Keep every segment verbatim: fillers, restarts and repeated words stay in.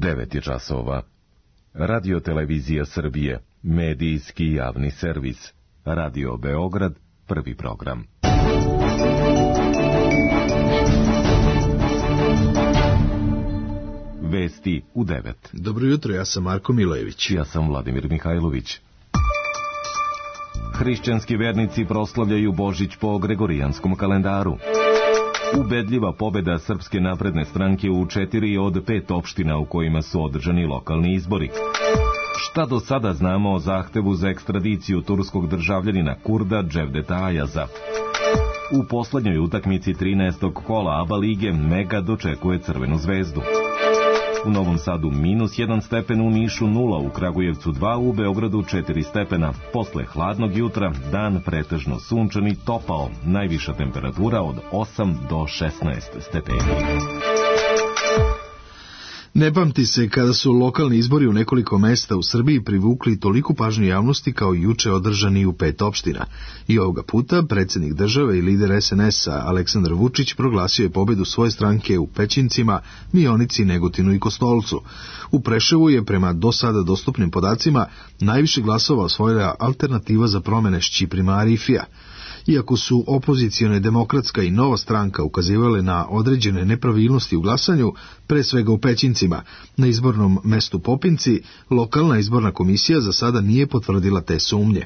devet je časova. Radio Televizija Srbije, medijski javni servis. Radio Beograd, prvi program. Vesti u devet. Dobro jutro, ja sam Marko Milojević. Ja sam Vladimir Mihajlović. Hrišćanski vernici proslavljaju Božić po Gregorijanskom kalendaru. Ubedljiva pobeda Srpske napredne stranke u četiri od pet opština u kojima su održani lokalni izbori. Šta do sada znamo o zahtevu za ekstradiciju turskog državljanina Kurda Cevdeta Ayaza? U poslednjoj utakmici trinaestog kola ABA lige Mega dočekuje Crvenu zvezdu. U Novom Sadu minus jedan stepen, u Nišu nula, u Kragujevcu dva, u Beogradu četiri stepena. Posle hladnog jutra dan pretežno sunčan i topao, najviša temperatura od osam do šesnaest stepeni. Ne pamti se kada su lokalni izbori u nekoliko mesta u Srbiji privukli toliku pažnju javnosti kao juče održani u pet opština. I ovoga puta predsjednik države i lider es en es-a Aleksandar Vučić proglasio je pobedu svoje stranke u Pećincima, Mionici, Negotinu i Kostolcu. U Preševu je prema do sada dostupnim podacima najviše glasova osvojila Alternativa za promene Šćiprima Arifija. Iako su opozicione Demokratska i Nova stranka ukazivale na određene nepravilnosti u glasanju, pre svega u Pećincima, na izbornom mestu Popinci, lokalna izborna komisija za sada nije potvrdila te sumnje.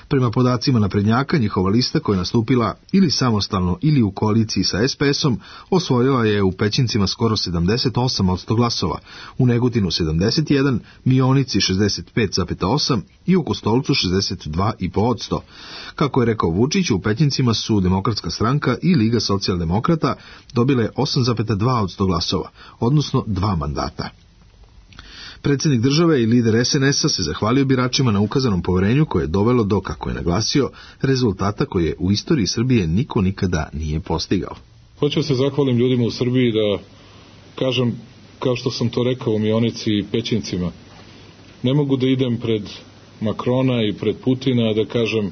Prema podacima naprednjaka, njihova lista koja je nastupila ili samostalno ili u koaliciji sa es pe es-om osvojila je u Pećincima skoro sedamdeset osam posto glasova, u Negotinu sedamdeset jedan, Mionici šezdeset pet zarez osam i u Kostolcu šezdeset dva zarez pet posto. Kako je rekao Vučić, u Pećincima su Demokratska stranka i Liga socijaldemokrata dobile osam zarez dva posto glasova, odnosno dva mandata. Predsjednik države i lider es en es-a se zahvalio biračima na ukazanom poverenju koje je dovelo do, kako je naglasio, rezultata koje u istoriji Srbije niko nikada nije postigao. Hoću se zahvalim ljudima u Srbiji da kažem, kao što sam to rekao u Mionici i Pećincima, ne mogu da idem pred Makrona i pred Putina da kažem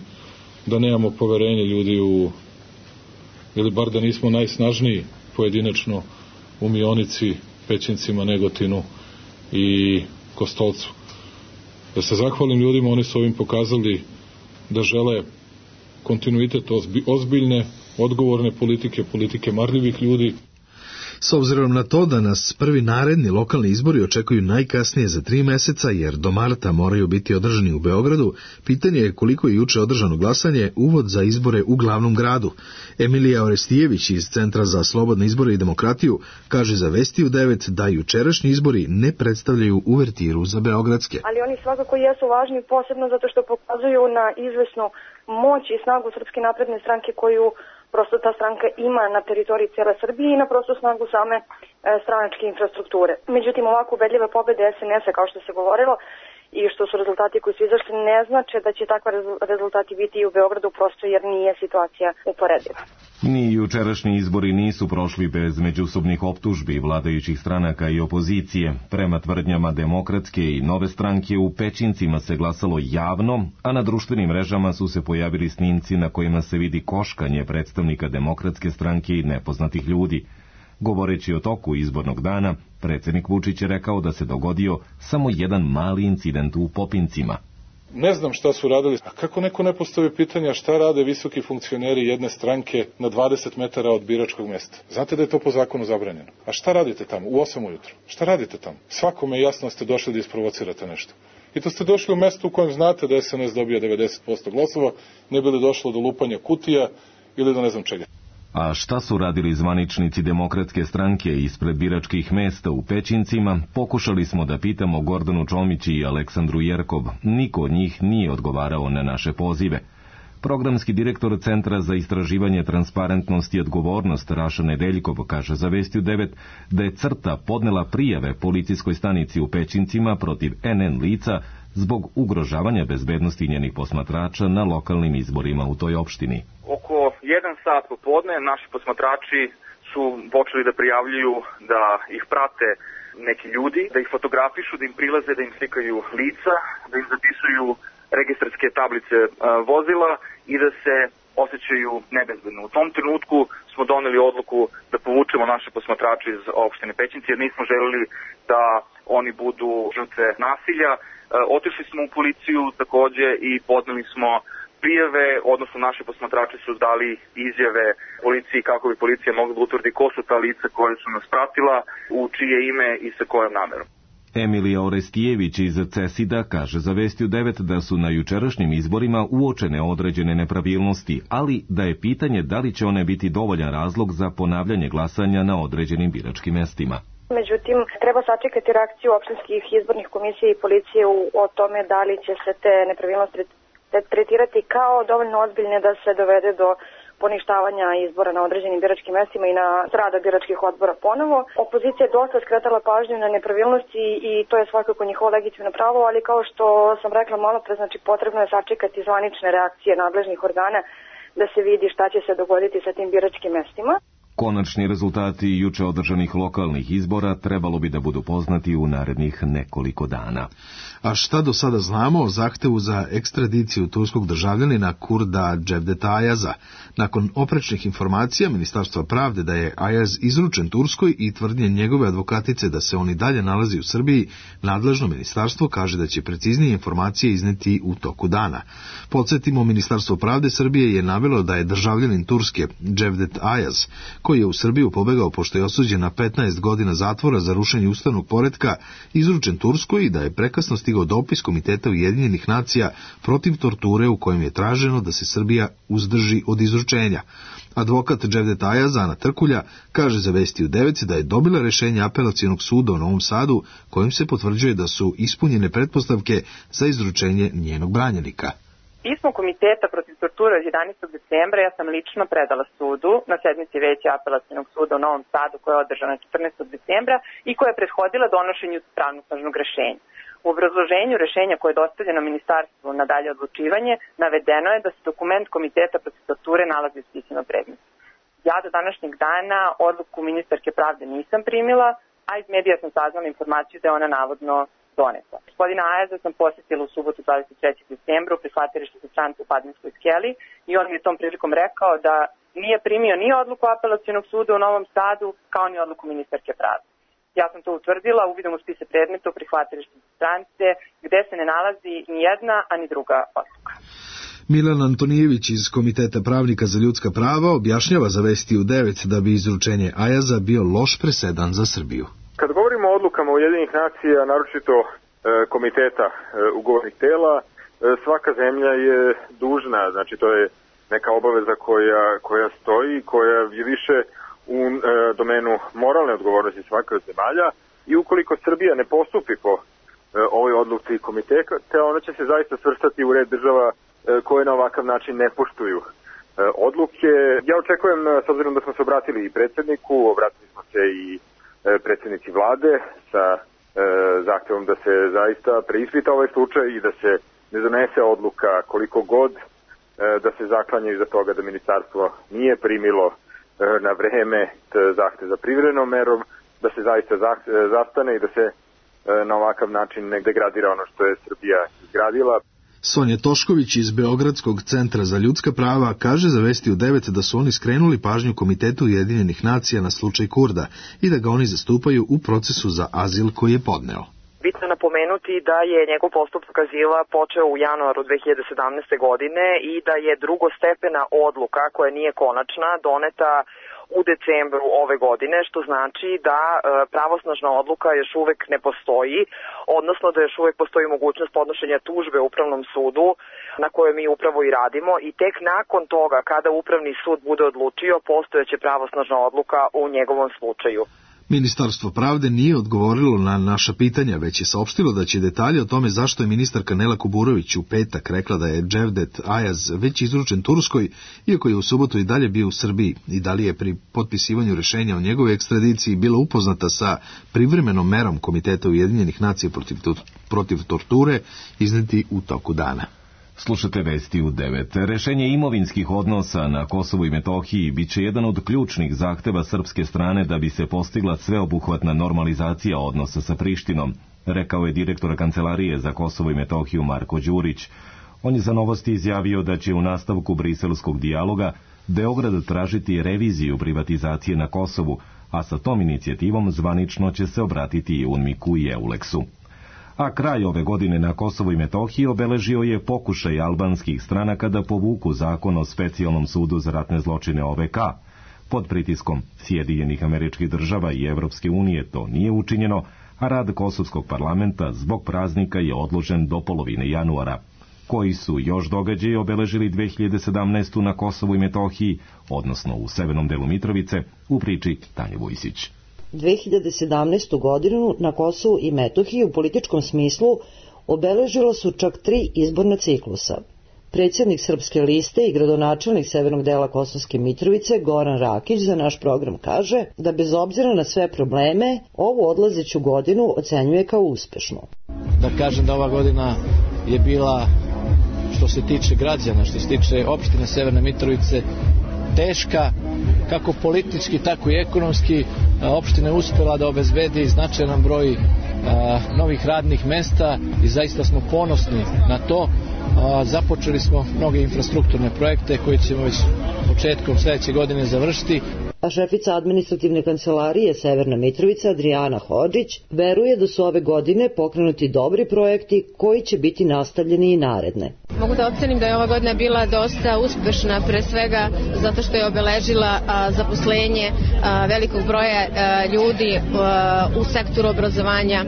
da nemamo poverenje ljudi u, ili bar da nismo najsnažniji pojedinačno u Mionici, Pećincima, Negotinu i Kostolcu. Da se zahvalim ljudima, oni su ovim pokazali da žele kontinuitet ozbiljne, odgovorne politike, politike marljivih ljudi. S obzirom na to da nas prvi naredni lokalni izbori očekuju najkasnije za tri meseca, jer do marta moraju biti održani u Beogradu, pitanje je koliko je juče održano glasanje uvod za izbore u glavnom gradu. Emilija Orestijević iz Centra za slobodne izbore i demokratiju kaže za Vesti u devet da jučerašnji izbori ne predstavljaju uvertiru za beogradske. Ali oni svakako jesu važni, posebno zato što pokazuju na izvesnu moć i snagu Srpske napredne stranke koju prosto ta stranka ima na teritoriji cijele Srbije i na prostu snagu same e, stranačke infrastrukture. Međutim, ovako ubedljive pobede es en es-a, kao što se govorilo, i što su rezultati koji su izašli, ne znače da će takva rezultati biti i u Beogradu, prosto jer nije situacija uporediva. Ni jučerašnji izbori nisu prošli bez međusobnih optužbi vladajućih stranaka i opozicije. Prema tvrdnjama Demokratske i Nove stranke u Pećincima se glasalo javno, a na društvenim mrežama su se pojavili snimci na kojima se vidi koškanje predstavnika Demokratske stranke i nepoznatih ljudi. Govoreći o toku izbornog dana, predsjednik Vučić je rekao da se dogodio samo jedan mali incident u Popincima. Ne znam šta su radili, a kako neko ne postavi pitanja šta rade visoki funkcioneri jedne stranke na dvadeset metara od biračkog mjesta. Znate da je to po zakonu zabranjeno. A šta radite tamo u osam ujutro? Šta radite tamo? Svakome je jasno da ste došli da isprovocirate nešto. I to ste došli u mesto u kojem znate da es en es dobija devedeset posto glasova, ne bi li došlo do lupanja kutija ili do ne znam čega. A šta su radili zvaničnici Demokratske stranke ispred biračkih mesta u Pećincima, pokušali smo da pitamo Gordanu Čomić i Aleksandru Jerkov. Niko od njih nije odgovarao na naše pozive. Programski direktor Centra za istraživanje transparentnosti i odgovornost Raša Nedeljkov kaže za Vesti u devet da je CRTA podnela prijave policijskoj stanici u Pećincima protiv en en lica zbog ugrožavanja bezbednosti njenih posmatrača na lokalnim izborima u toj opštini. Oko jedan sat popodne naši posmatrači su počeli da prijavljuju da ih prate neki ljudi, da ih fotografišu, da im prilaze, da im slikaju lica, da im zapisuju registarske tablice a, vozila i da se osjećaju nebezbedno. U tom trenutku smo doneli odluku da povučemo naše posmatrače iz opštine Pećinci, jer nismo želeli da oni budu žrtve nasilja. E, otišli smo u policiju takođe i podneli smo prijave, odnosno naši posmatrači su dali izjave policiji kako bi policija mogla da utvrdi ko su ta lica koje su nas pratila, u čije ime i sa kojom namerom. Emilija Orestijević iz CESID-a kaže za Vesti u devet da su na jučerašnjim izborima uočene određene nepravilnosti, ali da je pitanje da li će one biti dovoljan razlog za ponavljanje glasanja na određenim biračkim mestima. Međutim, treba sačekati reakciju opštinskih izbornih komisija i policije u, o tome da li će se te nepravilnosti tretirati kao dovoljno ozbiljne da se dovede do poništavanja izbora na određenim biračkim mestima i na rada biračkih odbora ponovo. Opozicija je dosta skretala pažnju na nepravilnosti i to je svakako njihovo legitimno pravo, ali kao što sam rekla malo pre, znači potrebno je sačekati zvanične reakcije nadležnih organa da se vidi šta će se dogoditi sa tim biračkim mestima. Konačni rezultati juče održanih lokalnih izbora trebalo bi da budu poznati u narednih nekoliko dana. A šta do sada znamo o zahtevu za ekstradiciju turskog državljanina Kurda Cevdeta Ayaza? Nakon oprečnih informacija Ministarstva pravde da je Ayaz izručen Turskoj i tvrdnje njegove advokatice da se on i dalje nalazi u Srbiji, nadležno ministarstvo kaže da će preciznije informacije izneti u toku dana. Podsjetimo, Ministarstvo pravde Srbije je navelo da je državljanin Turske Cevdet Ayaz, koji je u Srbiju pobegao pošto je osuđen na petnaest godina zatvora za rušenje ustavnog poretka, izručen Turskoj i da je prekasno stigao dopis Komiteta Ujedinjenih nacija protiv torture u kojem je traženo da se Srbija uzdrži od izručenja. Advokat Cevdeta Ayaza, Ana Trkulja, kaže za Vesti u devet da je dobila rešenje Apelacionog suda u Novom Sadu kojim se potvrđuje da su ispunjene pretpostavke za izručenje njenog branjenika. Pismo Komiteta protiv torture od jedanaestog decembra ja sam lično predala sudu na sednici Veća Apelacionog suda u Novom Sadu koja je održana četrnaestog decembra i koja je prethodila donošenju pravnosnažnog rešenja. U obrazloženju rešenja koje je dostavljeno ministarstvu na dalje odlučivanje navedeno je da se dokument Komiteta protiv torture nalazi u spisanom predmetu. Ja do današnjeg dana odluku ministarke pravde nisam primila, a iz medija sam saznala informaciju da je ona navodno doneta. Gospodina Ayaza sam posjetila u subotu dvadeset trećeg decembra u prihvatilištu za strance u Padinskoj skeli i on mi je tom prilikom rekao da nije primio ni odluku Apelacionog suda u Novom Sadu kao ni odluku ministarke pravde. Ja sam to utvrdila uvidom u spise predmeta u prihvatilištu za strance gde se ne nalazi ni jedna, a ni druga odluka. Milan Antonijević iz Komiteta pravnika za ljudska prava objašnjava za Vesti u devet da bi izručenje Ayaza bio loš presedan za Srbiju. Kad govorimo o odlukama Ujedinjenih nacija, naročito e, komiteta e, ugovornih tela, e, svaka zemlja je dužna, znači to je neka obaveza koja, koja stoji, koja je više u e, domenu moralne odgovornosti svake od zemalja i ukoliko Srbija ne postupi po e, ovoj odluci komiteta, ona će se zaista svrstati u red država e, koje na ovakav način ne poštuju e, odluke. Ja očekujem, s obzirom da smo se obratili i predsjedniku, obratili smo se i predsjednici vlade sa e, zahtevom da se zaista preispita ovaj slučaj i da se ne donese odluka koliko god e, da se zaklanjaju iza toga da ministarstvo nije primilo e, na vreme zahtev za privremenom merom, da se zaista zastane i da se e, na ovakav način ne degradira ono što je Srbija izgradila. Sonja Tošković iz Beogradskog centra za ljudska prava kaže za Vesti u devet da su oni skrenuli pažnju Komitetu Ujedinjenih nacija na slučaj Kurda i da ga oni zastupaju u procesu za azil koji je podneo. Bitno je napomenuti da je njegov postupak azila počeo u januaru dve hiljade sedamnaeste. godine i da je drugostepena odluka koja nije konačna doneta u decembru ove godine, što znači da e, pravosnažna odluka još uvek ne postoji, odnosno da još uvek postoji mogućnost podnošenja tužbe Upravnom sudu na kojoj mi upravo i radimo i tek nakon toga kada Upravni sud bude odlučio postojeće pravosnažna odluka u njegovom slučaju. Ministarstvo pravde nije odgovorilo na naša pitanja, već je saopštilo da će detalje o tome zašto je ministarka Nela Kuburović u petak rekla da je Cevdet Ayaz već izručen Turskoj, iako je u subotu i dalje bio u Srbiji, i da li je pri potpisivanju rešenja o njegovoj ekstradiciji bila upoznata sa privremenom merom Komiteta Ujedinjenih nacija protiv, protiv torture, izneti u toku dana. Slušate Vesti u devet. Rešenje imovinskih odnosa na Kosovu i Metohiji biće jedan od ključnih zahteva srpske strane da bi se postigla sveobuhvatna normalizacija odnosa sa Prištinom, rekao je direktor Kancelarije za Kosovo i Metohiju Marko Đurić. On je za Novosti izjavio da će u nastavku briselskog dijaloga Beograd tražiti reviziju privatizacije na Kosovu, a sa tom inicijativom zvanično će se obratiti i UNMIK-u i EULEX-u. A kraj ove godine na Kosovu i Metohiji obeležio je pokušaj albanskih stranaka da povuku zakon o specijalnom sudu za ratne zločine O V K. Pod pritiskom Sjedinjenih Američkih Država i Evropske unije to nije učinjeno, a rad kosovskog parlamenta zbog praznika je odložen do polovine januara. Koji su još događaji obeležili dve hiljade sedamnaestu. na Kosovu i Metohiji, odnosno u severnom delu Mitrovice, u priči Tanje Vujsić. dve hiljade sedamnaestu. godinu na Kosovu i Metohiji u političkom smislu obeležilo su čak tri izborna ciklusa. Predsjednik Srpske liste i gradonačelnik severnog dela Kosovske Mitrovice Goran Rakić za naš program kaže da bez obzira na sve probleme ovu odlazeću godinu ocenjuje kao uspešnu. Da kažem da ova godina je bila, što se tiče građana, što se tiče opštine Severne Mitrovice, teška, kako politički, tako i ekonomski. Opština je uspela da obezbedi značajan broj a, novih radnih mesta i zaista smo ponosni na to. A, započeli smo mnoge infrastrukturne projekte koje ćemo već početkom sledeće godine završiti. A šefica administrativne kancelarije Severna Mitrovica Adriana Hodžić veruje da su ove godine pokrenuti dobri projekti koji će biti nastavljeni i naredne. Mogu da ocenim da je ova godina bila dosta uspešna, pre svega zato što je obeležila a, zaposlenje a, velikog broja a, ljudi a, u sektoru obrazovanja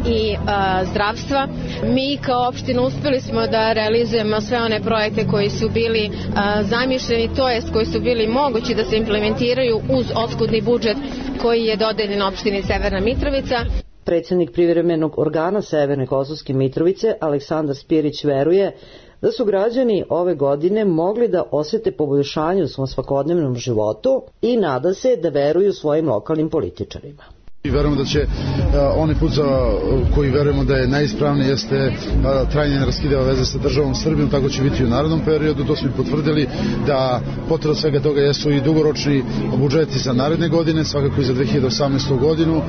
i a, zdravstva. Mi kao opština uspeli smo da realizujemo sve one projekte koji su bili a, zamišljeni, to jest koji su bili mogući da se implementiraju uz oskudni budžet koji je dodeljen opštini Severna Mitrovica. Predsjednik privremenog organa Severne Kosovske Mitrovice Aleksandar Spirić veruje da su građani ove godine mogli da osjete poboljšanje u svom svakodnevnom životu i nada se da veruju svojim lokalnim političarima. I verujemo da će uh, onaj put za uh, koji verujemo da je najispravniji jeste uh, trajne neraskidive veze sa državom Srbijom, tako će biti u narednom periodu. To smo i potvrdili da potvrda svega toga jesu i dugoročni budžeti za naredne godine, svakako i za dve hiljade osamnaestu. godinu uh,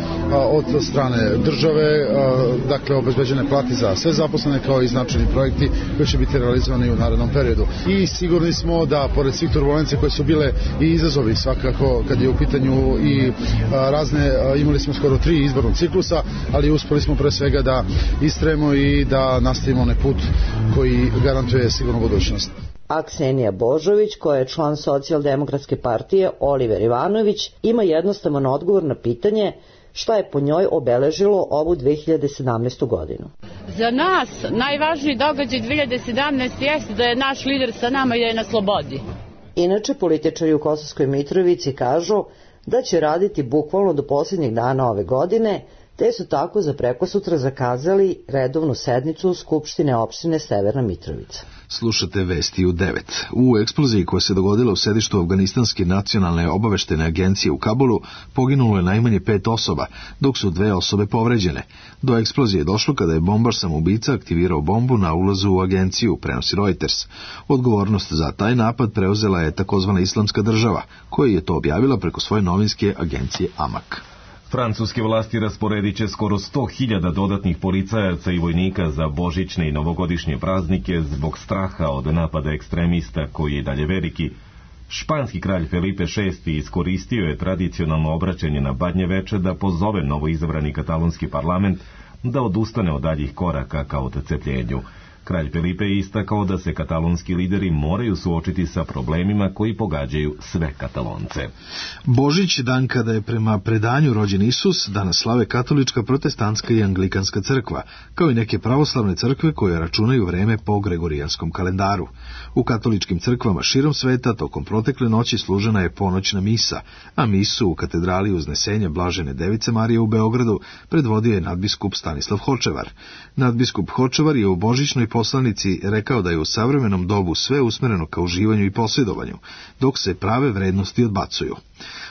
od strane države, uh, dakle obezbeđene plate za sve zaposlene kao i značajni projekti koji će biti realizovani u narednom periodu. I sigurni smo da pored svih turbulencija koje su bile i izazovi svakako kad je u pitanju i uh, razne uh, imali smo skoro tri izbornog ciklusa, ali uspeli smo pre svega da istrajemo i da nastavimo onaj put koji garantuje sigurnu budućnost. A Ksenija Božović, koja je član Socijaldemokratske partije Oliver Ivanović, ima jednostavan odgovor na pitanje šta je po njoj obeležilo ovu dve hiljade sedamnaestu. godinu. Za nas najvažniji događaj dve hiljade sedamnaeste. jeste da je naš lider sa nama i da je na slobodi. Inače, političari u Kosovskoj Mitrovici kažu da će raditi bukvalno do posljednjeg dana ove godine, te su tako za prekosutra zakazali redovnu sednicu Skupštine opštine Severna Mitrovica. Slušate vesti u devet. U eksploziji koja se dogodila u sedištu Afganistanske nacionalne obaveštene agencije u Kabulu poginulo je najmanje pet osoba, dok su dve osobe povređene. Do eksplozije je došlo kada je bombaš samoubica aktivirao bombu na ulazu u agenciju, prenosi Reuters. Odgovornost za taj napad preuzela je takozvana Islamska država, koja je to objavila preko svoje novinske agencije Amak. Francuske vlasti rasporedit će skoro sto hiljada dodatnih policajaca i vojnika za božićne i novogodišnje praznike zbog straha od napada ekstremista koji je dalje veliki. Španski kralj Felipe šesti iskoristio je tradicionalno obraćanje na Badnje veče da pozove novoizabrani katalonski parlament da odustane od daljih koraka ka odcepljenju. Kralj Felipe je istakao da se katalonski lideri moraju suočiti sa problemima koji pogađaju sve Katalonce. Božić, dan kada je prema predanju rođen Isus, danas slave katolička, protestantska i anglikanska crkva, kao i neke pravoslavne crkve koje računaju vreme po gregorijanskom kalendaru. U katoličkim crkvama širom sveta tokom protekle noći služena je ponoćna misa, a misu u katedrali Uznesenja Blažene Device Marije u Beogradu predvodio je nadbiskup Stanislav Hočevar. Nadbiskup Hočevar je u božićnoj poslanici rekao da je u savremenom dobu sve usmereno ka uživanju i posjedovanju, dok se prave vrednosti odbacuju.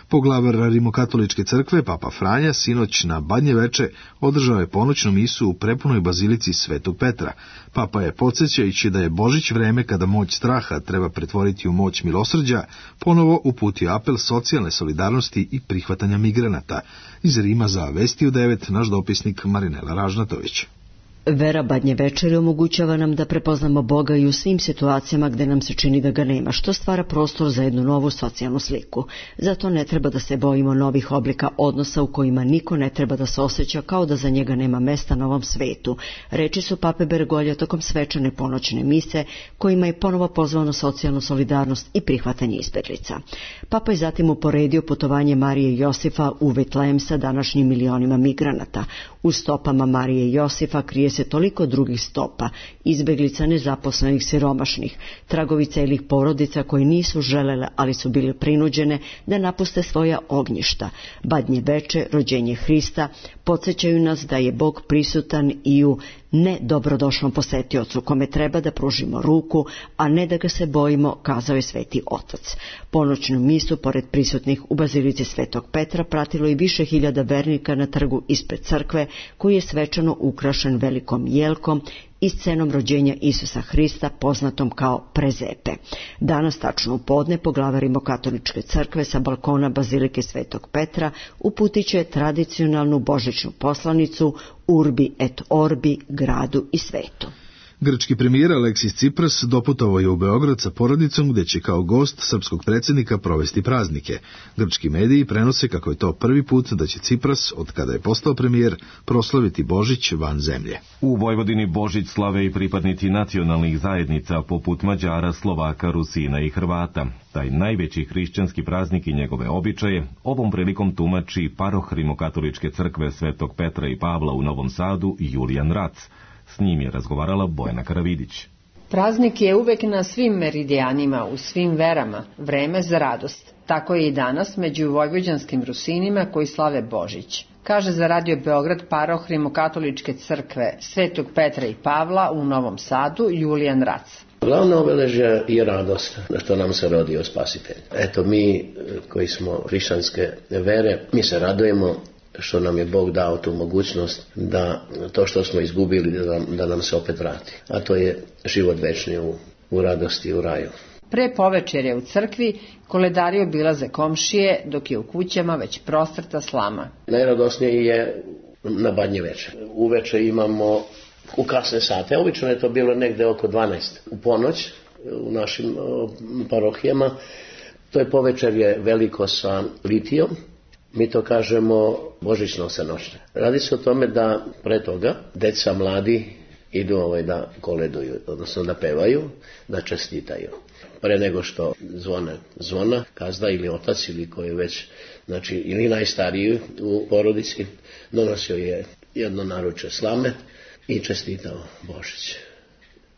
Poglavar Rimokatoličke crkve, Papa Franja, sinoć na Badnje veče održao je ponoćnu misu u prepunoj bazilici Svetog Petra. Papa je, podsjećajući da je Božić vreme kada moć straha treba pretvoriti u moć milosrđa, ponovo uputio apel socijalne solidarnosti i prihvatanja migranata. Iz Rima za Vesti u devet, naš dopisnik Marinela Ražnatović. Vera Badnje večeri omogućava nam da prepoznamo Boga i u svim situacijama gde nam se čini da ga nema, što stvara prostor za jednu novu socijalnu sliku. Zato ne treba da se bojimo novih oblika odnosa u kojima niko ne treba da se osjeća kao da za njega nema mesta na ovom svetu. Reči su pape Bergolja tokom svečane ponoćne mise, kojima je ponovo pozvao na socijalnu solidarnost i prihvatanje izbeglica. Papa je zatim uporedio putovanje Marije i Josifa u Betlehem sa današnjim milionima migranata. U stopama Marije i Josifa krije se toliko drugih stopa, izbeglica, nezaposlenih, siromašnih, tragovi celih porodica koji nisu želele, ali su bile prinuđene da napuste svoja ognjišta. Badnje veče, rođenje Hrista, podsjećaju nas da je Bog prisutan i u ne dobrodošlom posetiocu kome treba da pružimo ruku, a ne da ga se bojimo, kazao je Sveti Otac. Ponoćnu misu, pored prisutnih u bazilici Svetog Petra, pratilo i više hiljada vernika na trgu ispred crkve, koji je svečano ukrašen velikom jelkom i scenom rođenja Isusa Hrista, poznatom kao prezepe. Danas, tačno u podne, poglavarimo katoličke crkve sa balkona bazilike Svetog Petra uputit će tradicionalnu božićnu poslanicu Urbi et Orbi gradu i svetu. Grčki premijer Aleksis Cipras doputovao je u Beograd sa porodicom gde će kao gost srpskog predsjednika provesti praznike. Grčki mediji prenose kako je to prvi put da će Cipras, od kada je postao premijer, proslaviti Božić van zemlje. U Vojvodini Božić slave i pripadnici nacionalnih zajednica poput Mađara, Slovaka, Rusina i Hrvata. Taj najveći hrišćanski praznik i njegove običaje ovom prilikom tumači paroh Rimokatoličke crkve Svetog Petra i Pavla u Novom Sadu Julijan Rac. S njim je razgovarala Bojana Karavidić. Praznik je uvek na svim meridijanima, u svim verama, vreme za radost. Tako je i danas među vojvođanskim Rusinima koji slave Božić. Kaže za Radio Beograd paroh Rimokatoličke crkve Svetog Petra i Pavla u Novom Sadu Julijan Rac. Glavno obeležje je radost što nam se rodio Spasitelj. Eto, mi koji smo hrišćanske vere, mi se radujemo što nam je Bog dao tu mogućnost da to što smo izgubili da nam, da nam se opet vrati. A to je život večni u, u radosti u raju. Pre povečerje u crkvi koledari obilaze komšije, dok je u kućama već prostrta slama. Najradosnije je na Badnje veče. Uveče imamo u kasne sate, obično je to bilo negde oko dvanaest u ponoć u našim parohijama. To je povečerje veliko sa litijom. Mi to kažemo božićno senoćne. Radi se o tome da pre toga deca mladi idu ovaj da koleduju, odnosno da pevaju, da čestitaju. Pre nego što zvone zvona, kazda ili otac ili koji je već, znači ili najstariji u porodici, donosio je jedno naručje slame i čestitao Božić.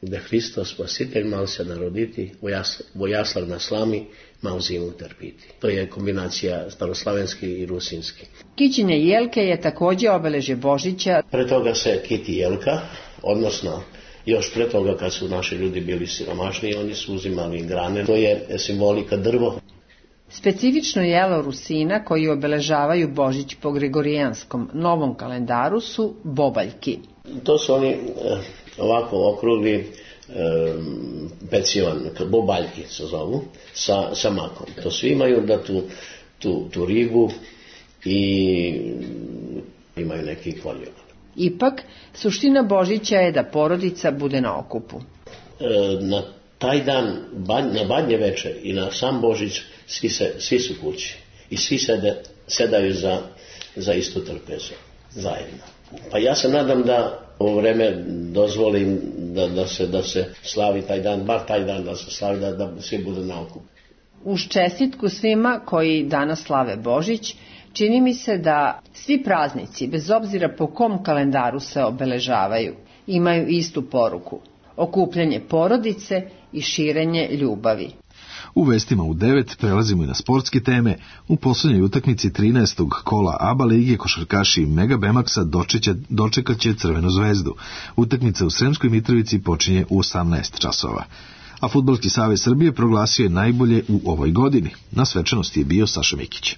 Gde Hristos Spasitelj mal se naroditi, vojaslav na slami, mal zimu trpiti. To je kombinacija staroslavenski i rusinski. Kićenje jelke je također obeležje Božića. Pre toga se kiti jelka, odnosno još pre toga kad su naši ljudi bili siromašni, oni su uzimali grane. To je simbolika drvo. Specifično jelo Rusina koji obeležavaju Božić po gregorijanskom novom kalendaru su bobaljki. To su oni ovako okrugli e, pecivan, bobaljki se zovu, sa, sa makom. To svi imaju da tu, tu, tu ribu i imaju neki kolju. Ipak, suština Božića je da porodica bude na okupu. E, na taj dan, na Badnje veče i na sam Božić, svi, se, svi su kući i svi sede, sedaju za, za istu trpezu, zajedno. Pa ja se nadam da ovo vreme dozvolim da, da, se, da se slavi taj dan, bar taj dan da se slavi, da, da svi budu na okupu. Uz čestitku svima koji danas slave Božić, čini mi se da svi praznici, bez obzira po kom kalendaru se obeležavaju, imaju istu poruku. Okupljanje porodice i širenje ljubavi. U vestima u devet prelazimo i na sportske teme. U posljednjoj utakmici trinaestog kola A B A lige košarkaši Mega Bemaksa dočekat će Crvenu zvezdu. Utakmica u Sremskoj Mitrovici počinje u osamnaest časova. A Fudbalski savez Srbije proglasio je najbolje u ovoj godini. Na svečanosti je bio Saša Mikić.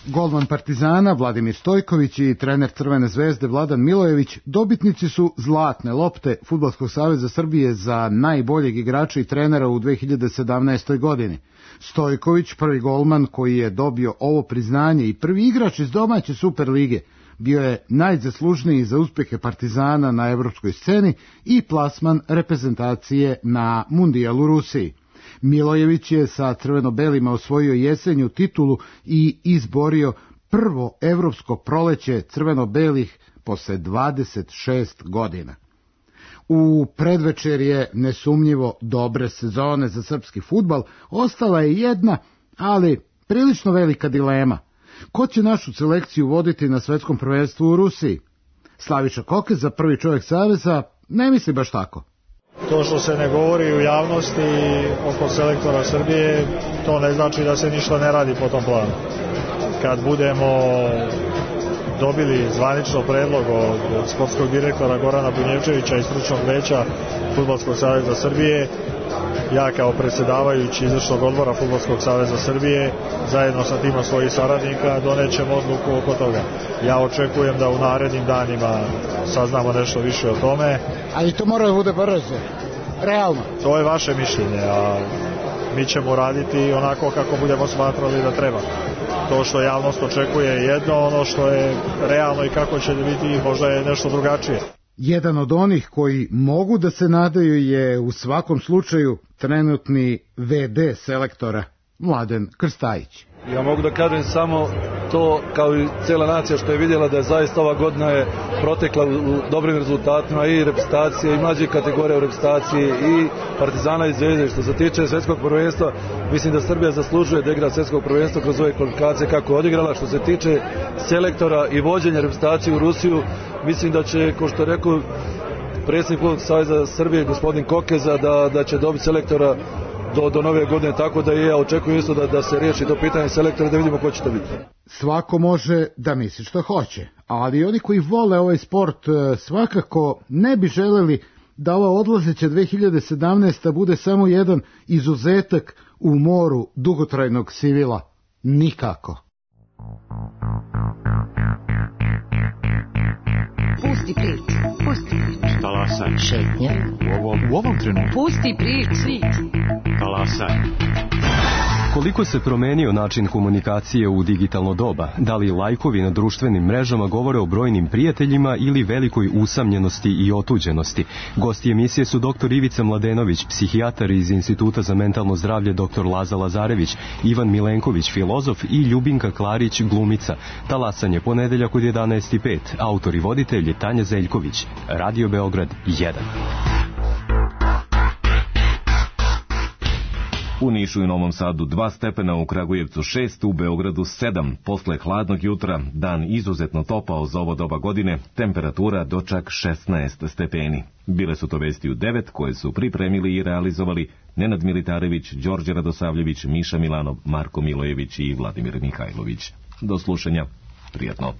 Golman Partizana Vladimir Stojković i trener Crvene zvezde Vladan Milojević dobitnici su zlatne lopte Fudbalskog saveza Srbije za najboljeg igrača i trenera u dve hiljade sedamnaestoj. godini. Stojković, prvi golman koji je dobio ovo priznanje i prvi igrač iz domaće Super lige, bio je najzaslužniji za uspjehe Partizana na evropskoj sceni i plasman reprezentacije na Mundijal u Rusiji. Milojević je sa crveno-belima osvojio jesenju titulu i izborio prvo evropsko proleće crveno-belih posle dvadeset šest godina. U predvečerje nesumnjivo dobre sezone za srpski fudbal ostala je jedna, ali prilično velika dilema. Ko će našu selekciju voditi na svetskom prvenstvu u Rusiji? Slaviša Kokeza, prvi čovjek saveza, ne misli baš tako. To što se ne govori u javnosti oko selektora Srbije, to ne znači da se ništa ne radi po tom planu. Kad budemo dobili zvanično predlog od sportskog direktora Gorana Bunjevčevića i stručnog veća Fudbalskog saveza Srbije, ja kao predsjedavajući izvršnog odbora Fudbalskog saveza Srbije zajedno sa tima svojih saradnika donećemo odluku oko toga. Ja očekujem da u narednim danima saznamo nešto više o tome. Ali to mora da bude brzo, realno. To je vaše mišljenje, a mi ćemo raditi onako kako budemo smatrali da treba. To što javnost očekuje je jedno, ono što je realno i kako će biti možda je nešto drugačije. Jedan od onih koji mogu da se nadaju je u svakom slučaju trenutni ve de selektora Mladen Krstajić. Ja mogu da kažem samo to, kao i cijela nacija što je vidjela, da je zaista ova godina je protekla u dobrim rezultatima i reprezentacije i mlađih kategorija u reprezentaciji i Partizana i Zvezde. Što se tiče svjetskog prvenstva, mislim da Srbija zaslužuje da igra svjetskog prvenstva kroz ove kvalifikacije kako je odigrala. Što se tiče selektora i vođenja reprezentacije u Rusiju, mislim da će, kao što je rekao predsjednik Fudbalskog saveza Srbije, gospodin Kokeza, da, da će dobiti selektora Do, do nove godine, tako da i ja očekujem isto da, da se riješi to pitanje selektora, da vidimo ko će to biti. Svako može da misli što hoće, ali oni koji vole ovaj sport svakako ne bi želeli da ova odlazeća dve hiljade sedamnaesta. bude samo jedan izuzetak u moru dugotrajnog sivila. Nikako. Pusti prič, pusti prič. Talasaj. Šetnja. U ovom, u ovom trenutku. Pusti prič. Talasaj. Koliko se promenio način komunikacije u digitalno doba? Da li lajkovi na društvenim mrežama govore o brojnim prijateljima ili velikoj usamljenosti i otuđenosti? Gosti emisije su doktor Ivica Mladenović, psihijatar iz Instituta za mentalno zdravlje doktor Laza Lazarević, Ivan Milenković, filozof i Ljubinka Klarić, glumica. Talasanje ponedeljak od jedanaest i pet. Autor i voditelj je Tanja Zeljković. Radio Beograd jedan. U Nišu i Novom Sadu dva stepena, u Kragujevcu šest, u Beogradu sedam. Posle hladnog jutra dan izuzetno topao za ovo doba godine, temperatura do čak šesnaest stepeni. Bile su to vesti u devet koje su pripremili i realizovali Nenad Militarević, Đorđe Radosavljević, Miša Milanov, Marko Milojević i Vladimir Mihajlović. Do slušanja. Prijatno.